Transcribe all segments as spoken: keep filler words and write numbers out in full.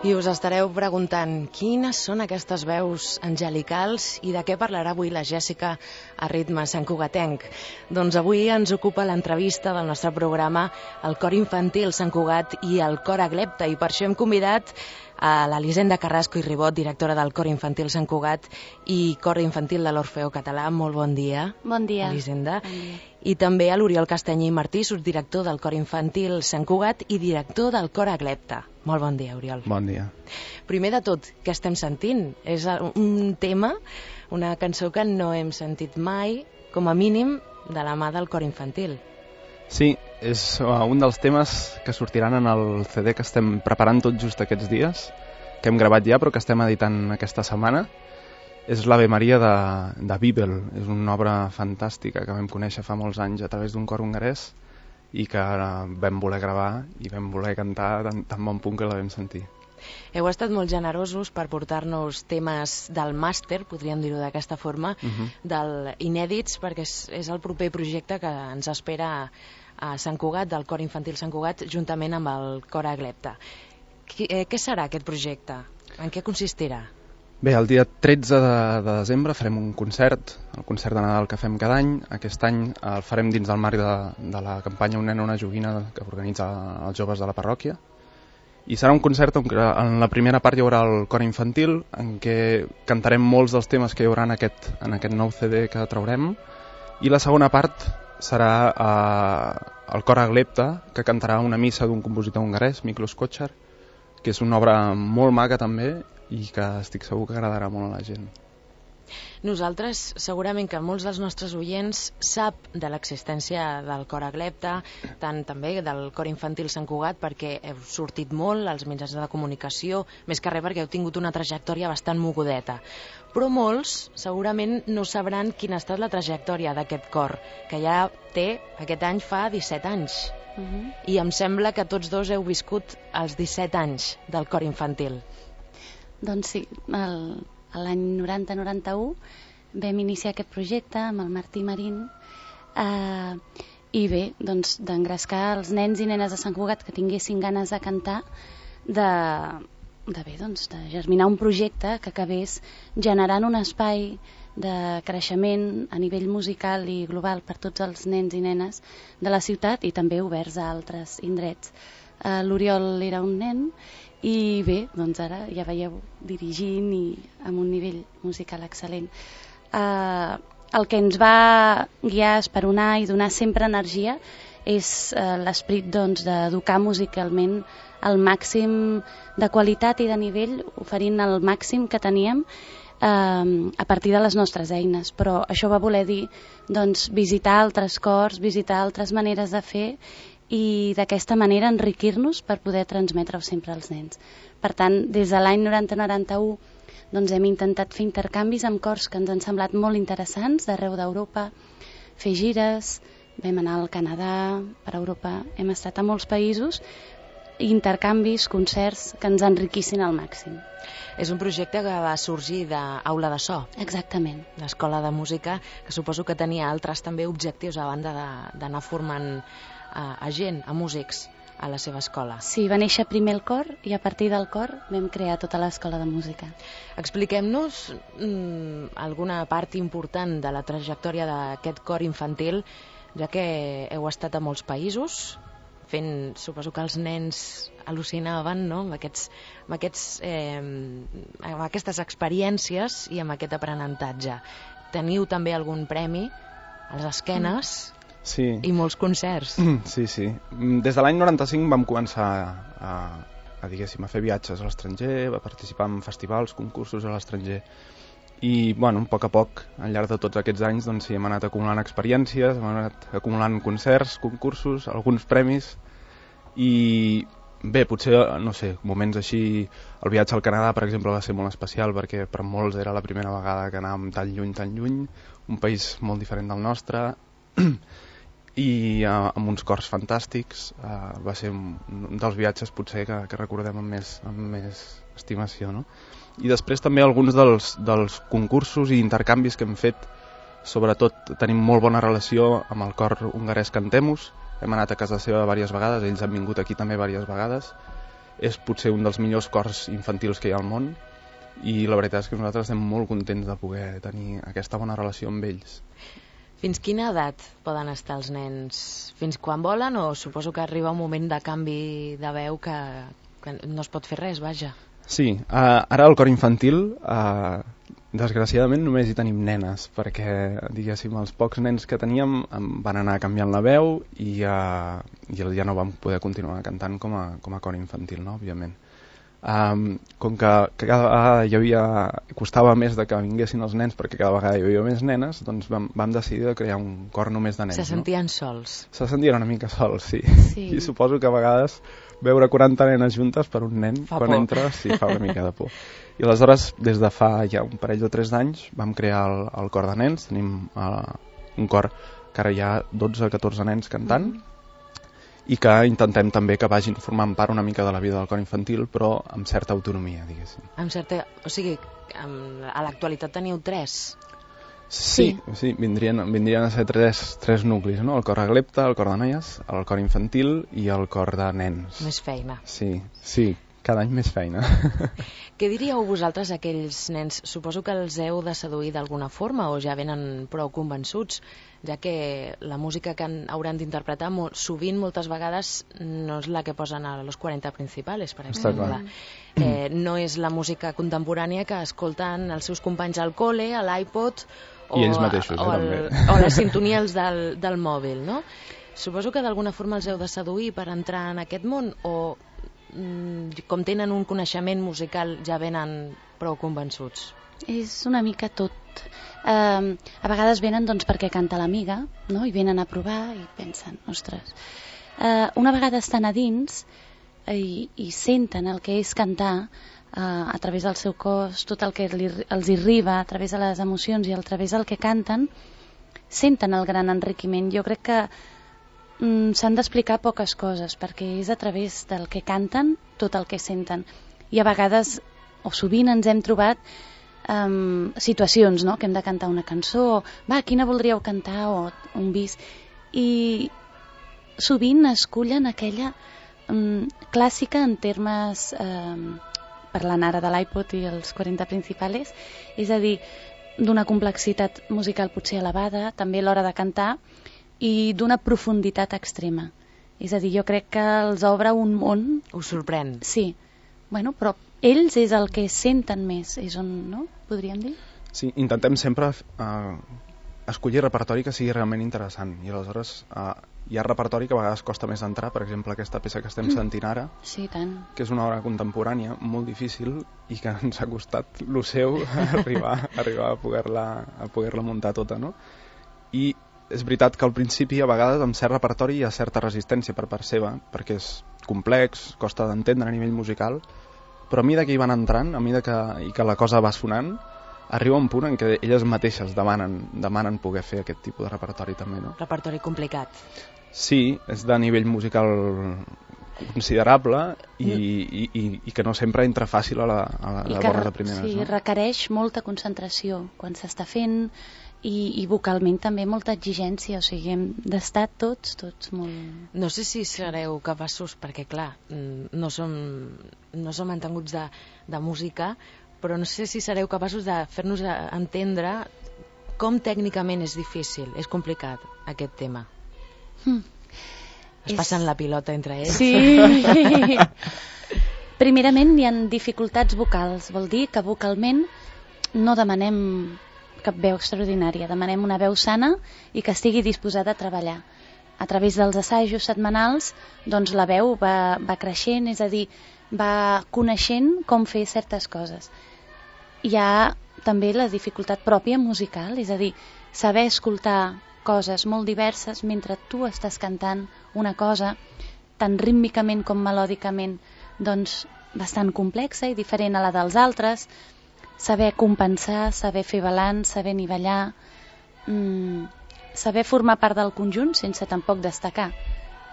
I us estareu preguntant quines són aquestes veus angelicals i de què parlarà avui la Jèssica a ritme santcugatenc. Doncs avui ens ocupa l'entrevista del nostre programa el Cor Infantil Sant Cugat i el Cor Aglepta, i per això hem convidat a l'Elisenda Carrasco i Ribot, directora del Cor Infantil Sant Cugat i Cor Infantil de l'Orfeó Català. Molt bon dia. Bon dia. Elisenda. Bon dia. I també a l'Oriol Castanyer i Martí, subdirector del Cor Infantil Sant Cugat i director del Cor Aglepta. Molt bon dia, Oriol. Bon dia. Primer de tot, què estem sentint? És un tema, una cançó que no hem sentit mai, com a mínim, de la mà del Cor Infantil. Sí, és un dels temes que sortiran en el C D que estem preparant tot just aquests dies, que hem gravat ja però que estem editant aquesta setmana. És l'Ave Maria de, de Bibel. És una obra fantàstica que vam conèixer fa molts anys a través d'un cor hongarès i que vam voler gravar i vam voler cantar tan, tan bon punt que la vam sentir. Heu estat molt generosos per portar-nos temes del màster, podríem dir-ho d'aquesta forma, uh-huh. del inèdits, perquè és, és el proper projecte que ens espera a Sant Cugat, del Cor Infantil Sant Cugat, juntament amb el Cor Aglepta. Qui, eh, què serà aquest projecte? En què consistirà? Bé, el dia tretze de, de desembre farem un concert, el concert de Nadal que fem cada any. Aquest any el farem dins del marc de, de la campanya Un nen, una joguina que organitza els joves de la parròquia. I serà un concert on en la primera part hi haurà el cor infantil, en què cantarem molts dels temes que hi haurà en aquest, en aquest nou C D que traurem, i la segona part serà eh, el cor Aglepta, que cantarà una missa d'un compositor hongarès, Miklós Kocsáry, que és una obra molt maca també i que estic segur que agradarà molt a la gent. Nosaltres, segurament que molts dels nostres oients sap de l'existència del Cor Aglepta, tant també del Cor Infantil Sant Cugat, perquè heu sortit molt als mitjans de comunicació, més que res perquè heu tingut una trajectòria bastant mogudeta. Però molts segurament no sabran quina ha estat la trajectòria d'aquest cor, que ja té, aquest any fa disset anys. Uh-huh. I em sembla que tots dos heu viscut els disset anys del Cor Infantil. Doncs sí, el... l'any noranta noranta-u vam iniciar aquest projecte amb el Martí Marín eh, i bé, doncs d'engrescar els nens i nenes de Sant Cugat que tinguessin ganes de cantar, de, de, bé, doncs, de germinar un projecte que acabés generant un espai de creixement a nivell musical i global per tots els nens i nenes de la ciutat i també oberts a altres indrets. Eh, L'Oriol era un nen i bé, doncs ara ja veieu dirigint i amb un nivell musical excel·lent. Uh, el que ens va guiar, esperonar i donar sempre energia és uh, l'esperit doncs, d'educar musicalment al màxim de qualitat i de nivell, oferint el màxim que teníem uh, a partir de les nostres eines. Però això va voler dir doncs, visitar altres cors, visitar altres maneres de fer i d'aquesta manera enriquir-nos per poder transmetre-ho sempre als nens. Per tant, des de l'any noranta noranta-u doncs hem intentat fer intercanvis amb cors que ens han semblat molt interessants d'arreu d'Europa, fer gires, vam anar al Canadà, per Europa, hem estat a molts països, intercanvis, concerts que ens enriquissin al màxim. És un projecte que va sorgir d'Aula de So. Exactament. L'escola de música, que suposo que tenia altres també objectius a banda d'anar formant a, a gent, a músics, a la seva escola. Sí, va néixer primer el cor i a partir del cor vam crear tota l'escola de música. Expliquem-nos mm, alguna part important de la trajectòria d'aquest cor infantil, ja que heu estat a molts països, fent, suposo que els nens al·lucinaven, no?, amb, aquests, amb, aquests, eh, amb aquestes experiències i amb aquest aprenentatge. Teniu també algun premi a les esquenes? Mm. Sí. I molts concerts. Sí, sí. Des de l'any noranta-cinc vam començar a, a, diguéssim, a fer viatges a l'estranger, a participar en festivals, concursos a l'estranger. I, bueno, a poc a poc, al llarg de tots aquests anys, doncs, sí, hem anat acumulant experiències, hem anat acumulant concerts, concursos, alguns premis. I, bé, potser, no sé, moments així... El viatge al Canadà, per exemple, va ser molt especial perquè per molts era la primera vegada que anàvem tan lluny, tan lluny, un país molt diferent del nostre... i uh, amb uns cors fantàstics. Uh, va ser un, un dels viatges potser que, que recordem amb més, amb més estimació, no? I després també alguns dels, dels concursos i intercanvis que hem fet, sobretot tenim molt bona relació amb el cor hongarès Cantemus, hem anat a casa seva diverses vegades, ells han vingut aquí també diverses vegades és potser un dels millors cors infantils que hi ha al món, i la veritat és que nosaltres estem molt contents de poder tenir aquesta bona relació amb ells. Fins quina edat poden estar els nens? Fins quan volen, o suposo que arriba un moment de canvi de veu que, que no es pot fer res, vaja? Sí, uh, ara al cor infantil uh, desgraciadament només hi tenim nenes, perquè diguéssim els pocs nens que teníem van anar canviant la veu i, uh, i ja no vam poder continuar cantant com a, com a cor infantil, no? Òbviament. Um, com que, que cada vegada hi havia, costava més de que vinguessin els nens perquè cada vegada hi havia més nenes, doncs vam, vam decidir de crear un cor només de nens. Se sentien no? sols. Se sentien una mica sols, sí. sí. I suposo que a vegades veure quaranta nenes juntes per un nen fa quan por. entra sí, fa una mica de por. I aleshores, des de fa ja un parell o tres d'anys, vam crear el, el cor de nens. Tenim uh, un cor que ara hi ha dotze o catorze nens cantant, mm. i que intentem també que vagin formant part una mica de la vida del cor infantil, però amb certa autonomia, diguéssim. Amb certa... O sigui, a l'actualitat teniu tres? Sí, sí, sí vindrien, vindrien a ser tres, tres nuclis, no? El cor aglepta, el cor de noies, el cor infantil i el cor de nens. Més feina. Sí, sí, cada any més feina. Què diríeu vosaltres a aquells nens? Suposo que els heu de seduir d'alguna forma o ja venen prou convençuts, ja que la música que han, hauran d'interpretar molt, sovint, moltes vegades, no és la que posen a los quaranta principales, per exemple. Eh, no és la música contemporània que escolten els seus companys al cole, a l'iPod o, I ells mateixos, o, el, eh, o les sintonies del, del mòbil, no? Suposo que d'alguna forma els heu de seduir per entrar en aquest món, o com tenen un coneixement musical ja venen prou convençuts? És una mica tot. Uh, a vegades venen doncs, perquè canta l'amiga, no? I venen a provar i pensen, ostres. Uh, una vegada estan a dins i, i senten el que és cantar uh, a través del seu cos, tot el que li, els arriba a través de les emocions i a través del que canten, senten el gran enriquiment. Jo crec que mm, s'han d'explicar poques coses, perquè és a través del que canten tot el que senten. I a vegades, o sovint ens hem trobat um, situacions, no?, que hem de cantar una cançó, va, quina voldríeu cantar, o un bis, i sovint escullen aquella um, clàssica en termes, um, parlant ara de l'iPod i els quaranta principales, és a dir, d'una complexitat musical potser elevada, també a l'hora de cantar, i d'una profunditat extrema. És a dir, jo crec que els obre un món... Us sorprèn? Sí. Bueno, però ells és el que senten més, és on, no?, podríem dir? Sí, intentem sempre uh, escollir repertori que sigui realment interessant, i aleshores uh, hi ha repertori que a vegades costa més entrar, per exemple aquesta peça que estem sentint ara, sí, tant. Que és una obra contemporània molt difícil i que ens ha costat lo seu arribar, arribar a poder-la a poder-la muntar tota, no? I és veritat que al principi a vegades amb cert repertori hi ha certa resistència per part seva, perquè és complex, costa d'entendre a nivell musical, però a mesura que hi van entrant, a mesura que, i que la cosa va sonant, arriba un punt en què elles mateixes demanen, demanen poder fer aquest tipus de repertori també, no? Repertori complicat. Sí, és de nivell musical considerable i, i, i, i que no sempre entra fàcil a la, a la, a la bona de primeres. Sí, no? Requereix molta concentració quan s'està fent, i, i vocalment també molta exigència, o sigui, hem d'estar tots, tots molt... No sé si sereu capaços, perquè clar, no som, no som entenguts de, de música, però no sé si sereu capaços de fer-nos entendre com tècnicament és difícil, és complicat aquest tema. Hmm. Es passen és... la pilota entre ells. Sí. Primerament hi ha dificultats vocals, vol dir que vocalment no demanem cap veu extraordinària, demanem una veu sana i que estigui disposada a treballar. A través dels assajos setmanals, doncs la veu va, va creixent, és a dir, va coneixent com fer certes coses. Hi ha també la dificultat pròpia musical, és a dir, saber escoltar coses molt diverses mentre tu estàs cantant una cosa tant rítmicament com melòdicament, doncs bastant complexa i diferent a la dels altres, saber compensar, saber fer balanç, saber nivellar, mmm, saber formar part del conjunt sense tampoc destacar.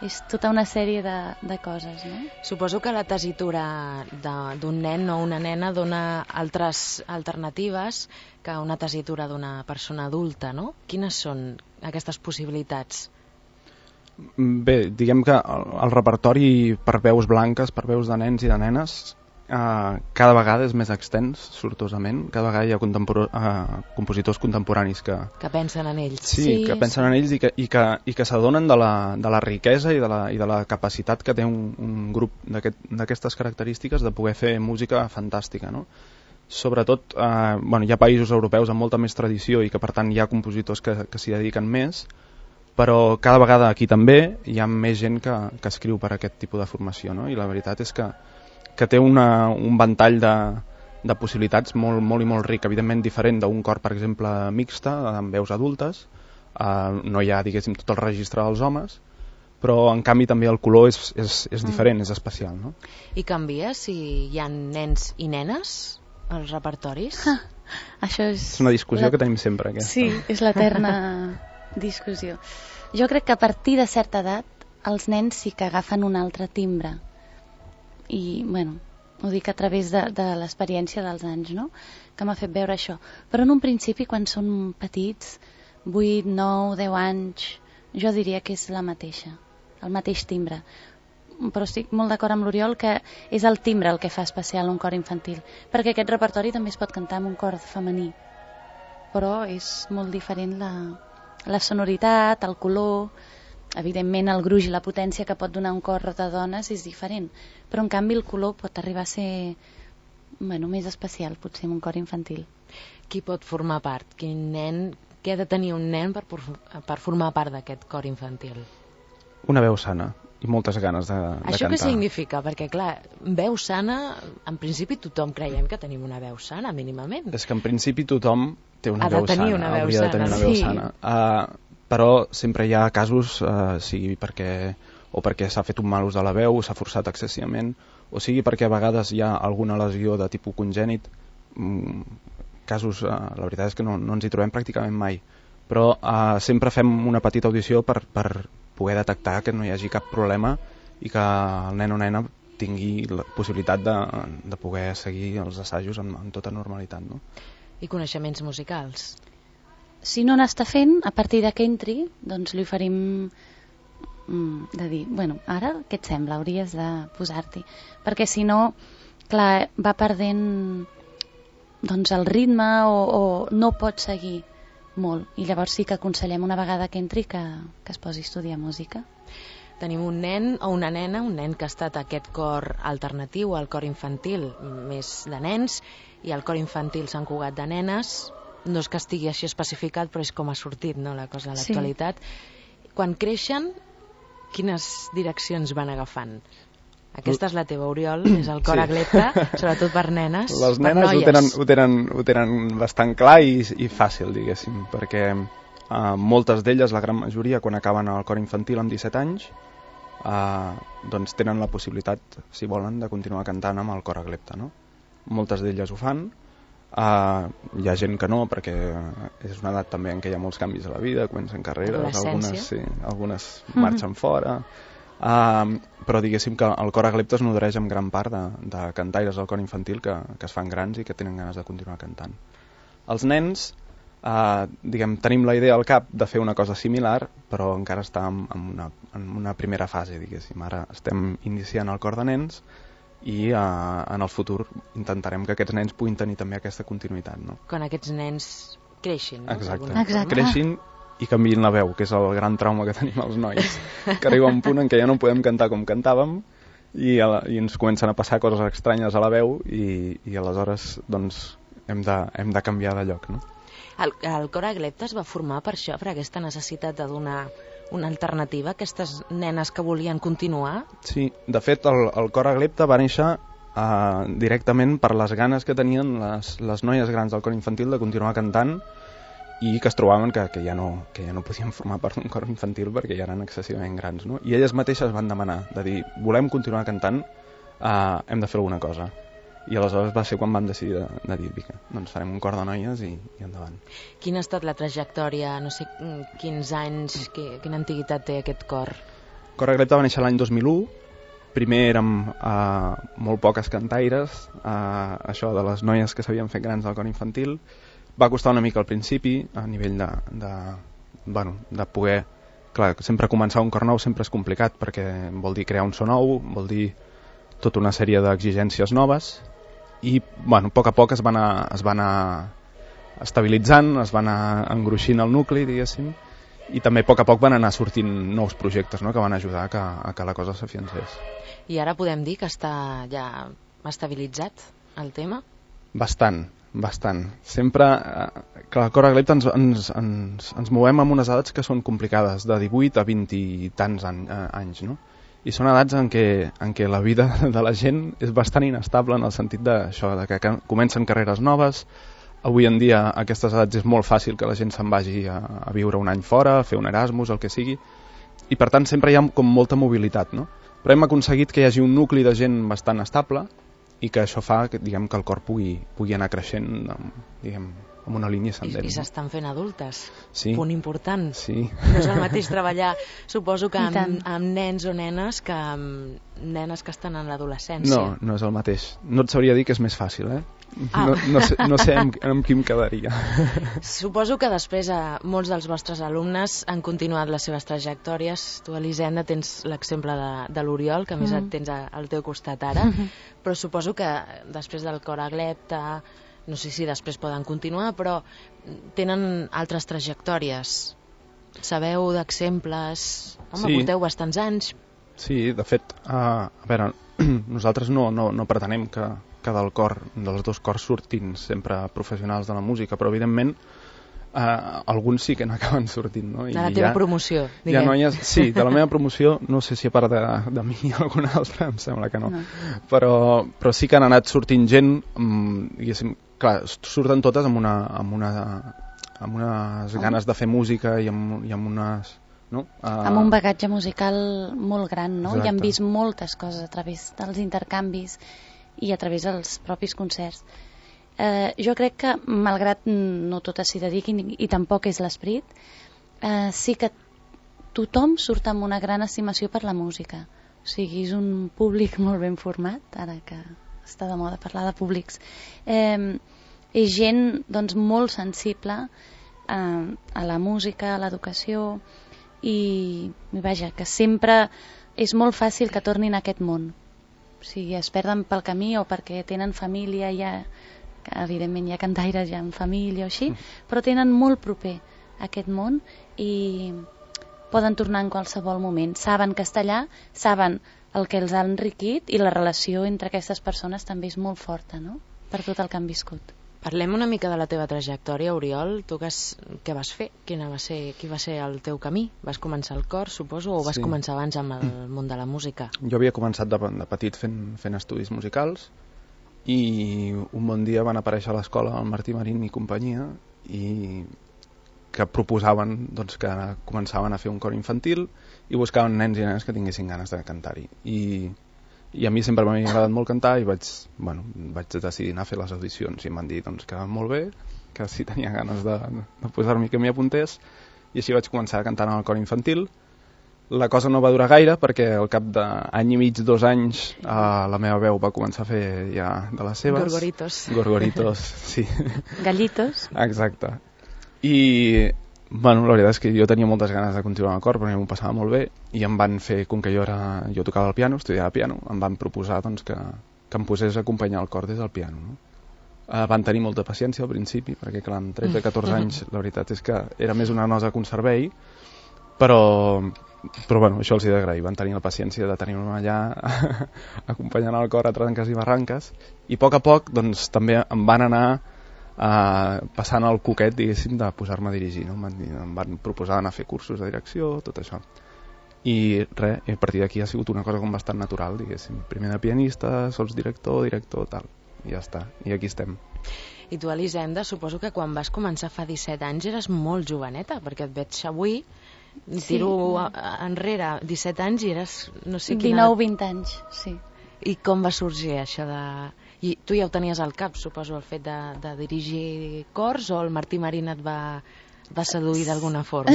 És tota una sèrie de, de coses, no? Suposo que la tessitura d'un nen o una nena dona altres alternatives que una tessitura d'una persona adulta, no? Quines són aquestes possibilitats? Bé, diguem que el, el repertori per veus blanques, per veus de nens i de nenes, eh, cada vegada és més extens, sortosament. Cada vegada hi ha contempor eh, compositors contemporanis que... Que pensen en ells. Sí, sí que pensen sí. en ells i que, i que, i que s'adonen de, la, de la riquesa i de la, i de la capacitat que té un, un grup d'aquestes aquest, característiques de poder fer música fantàstica, no? Sobretot, eh, bueno, hi ha països europeus amb molta més tradició i que per tant hi ha compositors que, que s'hi dediquen més, però cada vegada aquí també hi ha més gent que, que escriu per aquest tipus de formació, no? I la veritat és que, que té una, un ventall de, de possibilitats molt, molt i molt ric, evidentment diferent d'un cor, per exemple, mixta, amb veus adultes. Eh, no hi ha, diguéssim, tot el registre dels homes, però en canvi també el color és, és, és diferent, mm. és especial, no? I canvia si hi ha nens i nenes als repertoris? Ah, això és... És una discussió la... que tenim sempre, aquesta. Sí, és l'eterna discussió. Jo crec que a partir de certa edat els nens sí que agafen un altre timbre. I, bueno, ho dic a través de, de l'experiència dels anys, no?, que m'ha fet veure això. Però en un principi, quan són petits, vuit, nou, deu anys, jo diria que és la mateixa, el mateix timbre. Però estic molt d'acord amb l'Oriol que és el timbre el que fa especial un cor infantil, perquè aquest repertori també es pot cantar amb un cor femení, però és molt diferent la, la sonoritat, el color, evidentment el gruix i la potència que pot donar un cor de dones és diferent, però en canvi el color pot arribar a ser, bueno, més especial potser en un cor infantil. Qui pot formar part? Quin nen, què ha de tenir un nen per, per formar part d'aquest cor infantil? Una veu sana i moltes ganes de, de Això cantar. què significa? Perquè, clar, veu sana, en principi tothom creiem que tenim una veu sana, mínimament. És que en principi tothom té una ha veu de tenir sana, una veu hauria sana, de tenir una sí. veu sana. Uh, però sempre hi ha casos, uh, sigui perquè, o perquè s'ha fet un mal ús de la veu, s'ha forçat excessivament, o sigui perquè a vegades hi ha alguna lesió de tipus congènit. Mm, casos, uh, la veritat és que no, no ens hi trobem pràcticament mai. Però uh, sempre fem una petita audició per... per poder detectar que no hi hagi cap problema i que el nen o nena tingui la possibilitat de, de poder seguir els assajos amb, amb tota normalitat, no? I coneixements musicals? Si no n'està fent, a partir de que entri, doncs li oferim mm, de dir, bueno, ara què et sembla? Hauries de posar-t'hi. Perquè si no, clar, va perdent doncs, el ritme o, o no pot seguir molt, i llavors sí que aconsellem una vegada que entri que, que es posi a estudiar música. Tenim un nen o una nena, un nen que ha estat a aquest cor alternatiu, al cor infantil més de nens, i al cor infantil Sant Cugat de nenes. No és que estigui així especificat, però és com ha sortit, no?, la cosa de l'actualitat. Sí. Quan creixen, quines direccions van agafant? Aquesta és la teva, Oriol, és el cor sí. Aglepta, sobretot per nenes, les per nenes noies. ho tenen, ho, tenen, ho tenen bastant clar i, i fàcil, diguéssim, perquè uh, moltes d'elles, la gran majoria, quan acaben el cor infantil amb disset anys, uh, doncs tenen la possibilitat, si volen, de continuar cantant amb el cor Aglepta, no? Moltes d'elles ho fan, uh, hi ha gent que no, perquè és una edat també en què hi ha molts canvis a la vida, comencen carreres, algunes, sí, algunes mm-hmm. marxen fora... Uh, però diguéssim que el cor Aglepta es nodreix en gran part de, de cantaires del cor infantil que, que es fan grans i que tenen ganes de continuar cantant. Els nens, uh, diguem, tenim la idea al cap de fer una cosa similar, però encara està en, en, una, en una primera fase, diguéssim. Ara estem iniciant el cor de nens i uh, en el futur intentarem que aquests nens puguin tenir també aquesta continuïtat, no? Quan aquests nens creixin, no? Exacte, Exacte. creixin i canviïn la veu, que és el gran trauma que tenim els nois, que arriba un punt en què ja no podem cantar com cantàvem i, a la, i ens comencen a passar coses estranyes a la veu i, i aleshores doncs, hem, de, hem de canviar de lloc, no? El, el cor Aglepta es va formar per això, per aquesta necessitat de donar una alternativa a aquestes nenes que volien continuar? Sí, de fet el, el cor Aglepta va néixer uh, directament per les ganes que tenien les, les noies grans del cor infantil de continuar cantant i que es trobaven que, que, ja no, que ja no podien formar part d'un cor infantil perquè ja eren excessivament grans, no? I elles mateixes van demanar, de dir, volem continuar cantant, uh, hem de fer alguna cosa. I aleshores va ser quan van decidir de, de dir, vinga, doncs farem un cor de noies i, i endavant. Quina ha estat la trajectòria, no sé quins anys, que, quina antiguitat té aquest cor? Cor Aglepta va néixer l'any dos mil u, primer érem uh, molt poques cantaires, uh, això de les noies que s'havien fet grans del cor infantil. Va costar una mica al principi, a nivell de, de, bueno, de poder clar, sempre començar un cor nou sempre és complicat, perquè vol dir crear un so nou, vol dir tota una sèrie d'exigències noves, i bueno, a poc a poc es va anar, es va anar estabilitzant, es va anar engruixint el nucli, diguéssim, i també a poc a poc van anar sortint nous projectes, no?, que van ajudar a que, a que la cosa s'afiancés. I ara podem dir que està ja estabilitzat el tema? Bastant, bastant. Sempre, eh, que el cor Aglep ens, ens, ens, ens movem amb unes edats que són complicades, de divuit a vint i tants any, eh, anys, no? I són edats en què, en què la vida de la gent és bastant inestable en el sentit d'això, de que comencen carreres noves. Avui en dia a aquestes edats és molt fàcil que la gent se'n vagi a, a viure un any fora, a fer un Erasmus, el que sigui, i per tant sempre hi ha com molta mobilitat, no? Però hem aconseguit que hi hagi un nucli de gent bastant estable i que això fa que, diguem, que el cor pugui, pugui anar creixent, diguem, amb una línia ascendent. I, i s'estan fent adultes, sí. Punt important. Sí. No és el mateix treballar, suposo que amb, amb nens o nenes que amb nenes que estan en l'adolescència. No, no és el mateix. No et sabria dir que és més fàcil, eh? Ah. No, no sé, no sé amb, amb qui em quedaria. Suposo que després eh, molts dels vostres alumnes han continuat les seves trajectòries. Tu, Elisenda, tens l'exemple de, de l'Oriol, que a més mm. et tens a, al teu costat ara, mm -hmm. però suposo que després del cor Aglepta, no sé si després poden continuar, però tenen altres trajectòries. Sabeu d'exemples? Home, sí. Porteu bastants anys. Sí, de fet, uh, a veure, nosaltres no, no, no pretenem que, que del cor, dels dos cors surtin sempre professionals de la música, però evidentment uh, alguns sí que n'acaben sortint, no? I de la teva ha, promoció, diguem. Noies, sí, de la meva promoció, no sé si a part de, de mi i alguna altra, em sembla que no, no. Però, però sí que han anat sortint gent, um, diguéssim, clar, surten totes amb una, amb una, amb unes ganes de fer música i amb, i amb unes... No? Uh... amb un bagatge musical molt gran, no? Exacte. I han vist moltes coses a través dels intercanvis i a través dels propis concerts. Eh, jo crec que, malgrat no totes s'hi dediquin i, i tampoc és l'esperit, eh, sí que tothom surt amb una gran estimació per la música. O sigui, és un públic molt ben format, ara que està de moda parlar de públics. Eh, és gent, doncs, molt sensible eh, a la música, a l'educació, i vaja, que sempre és molt fàcil que tornin a aquest món. O sigui, es perden pel camí o perquè tenen família, ja, que evidentment hi ha cantaires ja amb família o així, mm. però tenen molt proper aquest món i poden tornar en qualsevol moment. Saben que està allà, saben el que els ha enriquit i la relació entre aquestes persones també és molt forta, no?, per tot el que han viscut. Parlem una mica de la teva trajectòria, Oriol. Tu que has, què vas fer? Quina va ser, qui va ser el teu camí? Vas començar al cor, suposo, o vas sí. començar abans amb el món de la música? Jo havia començat de, de petit fent, fent estudis musicals i un bon dia van aparèixer a l'escola el Martí Marín i companyia i que proposaven doncs, que començaven a fer un cor infantil i buscaven nens i nenes que tinguessin ganes de cantar-hi. I I a mi sempre m'havia agradat molt cantar i vaig, bueno, vaig decidir anar a fer les audicions i em van dir doncs, que molt bé, que si tenia ganes de, de posar-m'hi que m'hi apuntés, i així vaig començar a cantar en el cor infantil. La cosa no va durar gaire perquè al cap d'any i mig, dos anys, eh, la meva veu va començar a fer ja de les seves. Gorgoritos. Gorgoritos, sí. Gallitos. Exacte. I bueno, la veritat és que jo tenia moltes ganes de continuar amb el cor perquè m'ho passava molt bé i em van fer, com que jo era jo tocava el piano, estudiava piano, em van proposar doncs, que, que em posés a acompanyar el cor des del piano, no? Uh, van tenir molta paciència al principi perquè clar, amb tretze a catorze anys la veritat és que era més una nosa que un servei, però però bueno, això els he d'agrair, van tenir la paciència de tenir-me allà acompanyant el cor a tranques i barranques i a poc a poc doncs també em van anar Uh, passant el coquet, diguéssim, de posar-me a dirigir, no? Em van, em van proposar anar a fer cursos de direcció, tot això. I res, a partir d'aquí ha sigut una cosa com bastant natural, diguéssim. Primer de pianista, sols director, director, tal. I ja està, i aquí estem. I tu, Elisenda, suposo que quan vas començar fa disset anys eres molt joveneta, perquè et veig avui, tiro sí. enrere disset anys i eres, no sé quina... dinou vint anys, sí. I com va sorgir això de... I tu ja ho tenies al cap, suposo, el fet de, de dirigir cors, o el Martí Marín et va, va seduir d'alguna forma?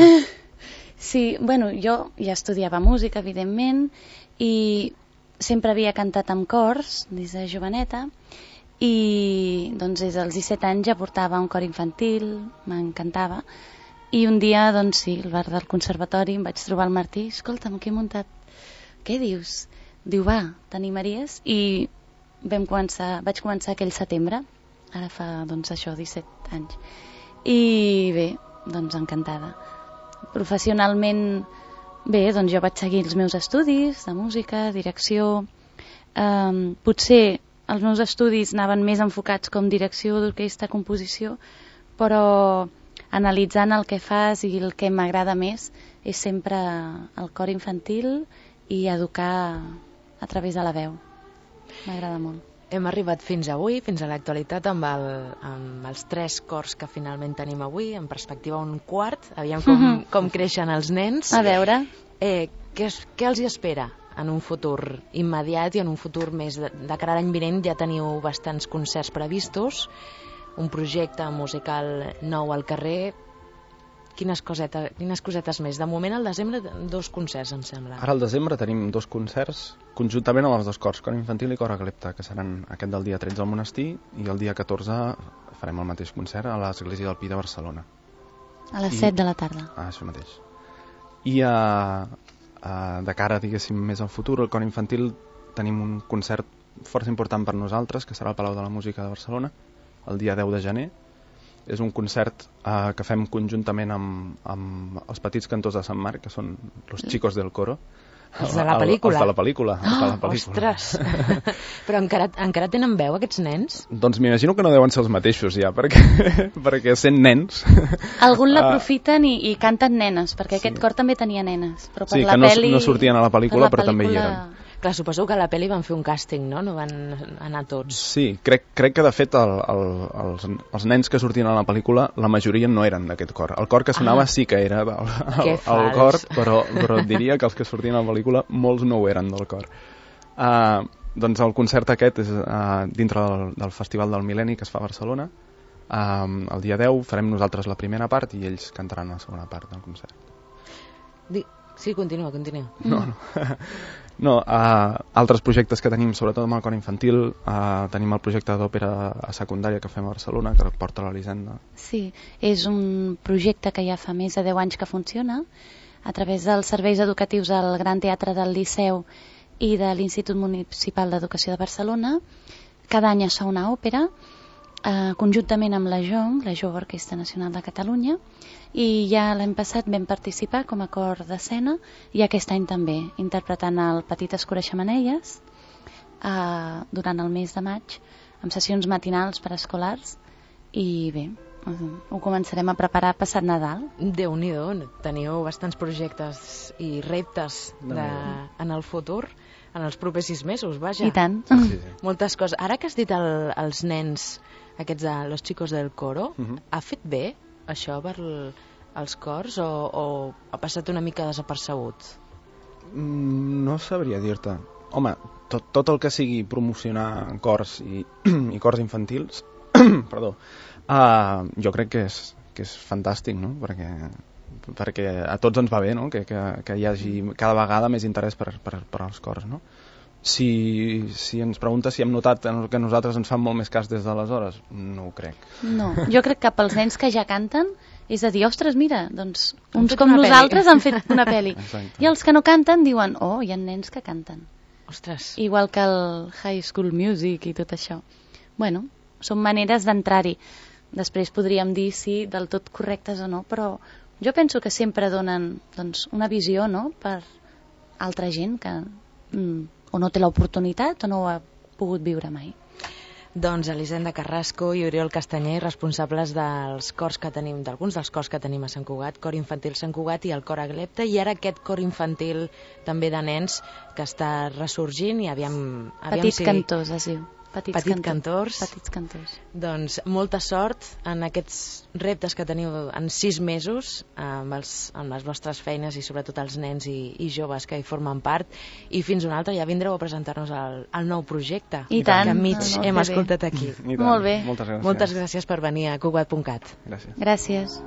Sí, bueno, jo ja estudiava música, evidentment, i sempre havia cantat amb cors des de joveneta, i doncs des dels disset anys ja portava un cor infantil, m'encantava, I un dia, doncs sí, al bar del conservatori em vaig trobar el Martí, escolta'm, què he muntat? Què dius? Diu, va, t'animaries? I vam començar, vaig començar aquell setembre, ara fa, doncs això, disset anys. I bé, doncs encantada. Professionalment, bé, doncs jo vaig seguir els meus estudis de música, direcció. Um, potser els meus estudis anaven més enfocats com direcció d'orquestra, composició, però analitzant el que fas i el que m'agrada més és sempre el cor infantil i educar a través de la veu. M'agrada molt. Hem arribat fins avui, fins a l'actualitat, amb, el, amb els tres cors que finalment tenim avui, en perspectiva un quart. Aviam com, mm-hmm. com creixen els nens. A veure. Eh, què, què els hi espera en un futur immediat i en un futur més de, de cara a l'any vinent? Ja teniu bastants concerts previstos, un projecte musical nou al carrer. Quines cosetes, quines cosetes més? De moment, al desembre, dos concerts, em sembla. Ara al desembre tenim dos concerts conjuntament amb els dos cors, cor infantil i cor aglepta, que seran aquest del dia tretze al Monestir i el dia catorze farem el mateix concert a l'Església del Pi de Barcelona. A les I... set de la tarda. Ah, això mateix. I a, a, de cara, diguéssim, més al futur, el cor infantil tenim un concert força important per nosaltres, que serà al Palau de la Música de Barcelona, el dia deu de gener. És un concert eh, que fem conjuntament amb, amb els petits cantors de Sant Marc, que són los chicos del coro. Els de la pel·lícula. Els de la pel·lícula. Oh, de la pel·lícula. Ostres! Però encara, encara tenen veu, aquests nens? Doncs m'imagino que no deuen ser els mateixos ja, perquè, perquè sent nens... Algun l'aprofiten i, i canten nenes, perquè sí. Aquest cor també tenia nenes. Però per sí, la que no, peli, no sortien a la pel·lícula, però pel·lícula... també hi eren. Clar, suposo que a la pel·li van fer un càsting, no? No van anar tots. Sí, crec, crec que de fet el, el, els, els nens que sortien a la pel·lícula, la majoria no eren d'aquest cor. El cor que sonava ah, sí que era del, el, el cor, però, però diria que els que sortien a la pel·lícula molts no ho eren del cor. Uh, doncs el concert aquest és uh, dintre del, del Festival del Mil·lenni que es fa a Barcelona. Uh, el dia deu farem nosaltres la primera part i ells cantaran la segona part del concert. Di- Sí, continua, continua. No, no. no uh, altres projectes que tenim, sobretot amb el cor infantil, uh, tenim el projecte d'òpera a secundària que fem a Barcelona, que porta l'Elisenda. Sí, és un projecte que ja fa més de deu anys que funciona, a través dels serveis educatius del Gran Teatre del Liceu i de l'Institut Municipal d'Educació de Barcelona. Cada any es fa una òpera, Uh, conjuntament amb la J O N, la Jove Orquestra Nacional de Catalunya, i ja l'any passat vam participar com a cor d'escena i aquest any també, interpretant el Petites Coreixamanelles uh, durant el mes de maig, amb sessions matinals per a escolars, i bé, uh, ho començarem a preparar passat Nadal. Déu-n'hi-do, teniu bastants projectes i reptes de, en el futur, en els propers sis mesos, vaja. I tant. Sí, sí. Moltes coses. Ara que has dit el, els nens, aquests de los chicos del coro, uh-huh. ha fet bé això per l, els cors o, o ha passat una mica desapercebut? Mm, no sabria dir-te. Home, tot, tot el que sigui promocionar cors i, i cors infantils, perdó, uh, jo crec que és, que és fantàstic, no? Perquè, perquè a tots ens va bé, no? Que, que, que hi hagi cada vegada més interès per, per, per als cors, no? Si, si ens pregunta si hem notat que nosaltres ens fan molt més cas des d'aleshores, no ho crec. No, jo crec que pels nens que ja canten és a dir, ostres, mira, doncs uns com nosaltres peli. Han fet una pel·li. Exacte. I els que no canten diuen, oh, hi ha nens que canten. Ostres. Igual que el High School Music i tot això. Bueno, són maneres d'entrar-hi. Després podríem dir si del tot correctes o no, però jo penso que sempre donen doncs, una visió, no?, per altra gent que mm, o no té l'oportunitat o no ho ha pogut viure mai. Doncs Elisenda Carrasco i Oriol Castanyer, responsables dels cors que tenim, d'alguns dels cors que tenim a Sant Cugat, cor infantil Sant Cugat i el cor Aglepta, i ara aquest cor infantil també de nens que està ressorgint i aviam... aviam Petits si... cantors, es diu. Petits, Petits cantors. Petits cantors. Doncs molta sort en aquests reptes que teniu en sis mesos amb, els, amb les vostres feines i sobretot els nens i, i joves que hi formen part, i fins un altre ja vindreu a presentar-nos el, el nou projecte I tant, que enmig no, no, hem bé. escoltat aquí. Molt bé. Moltes gràcies. Moltes gràcies per venir a Cugat punt cat. Gràcies. Gràcies.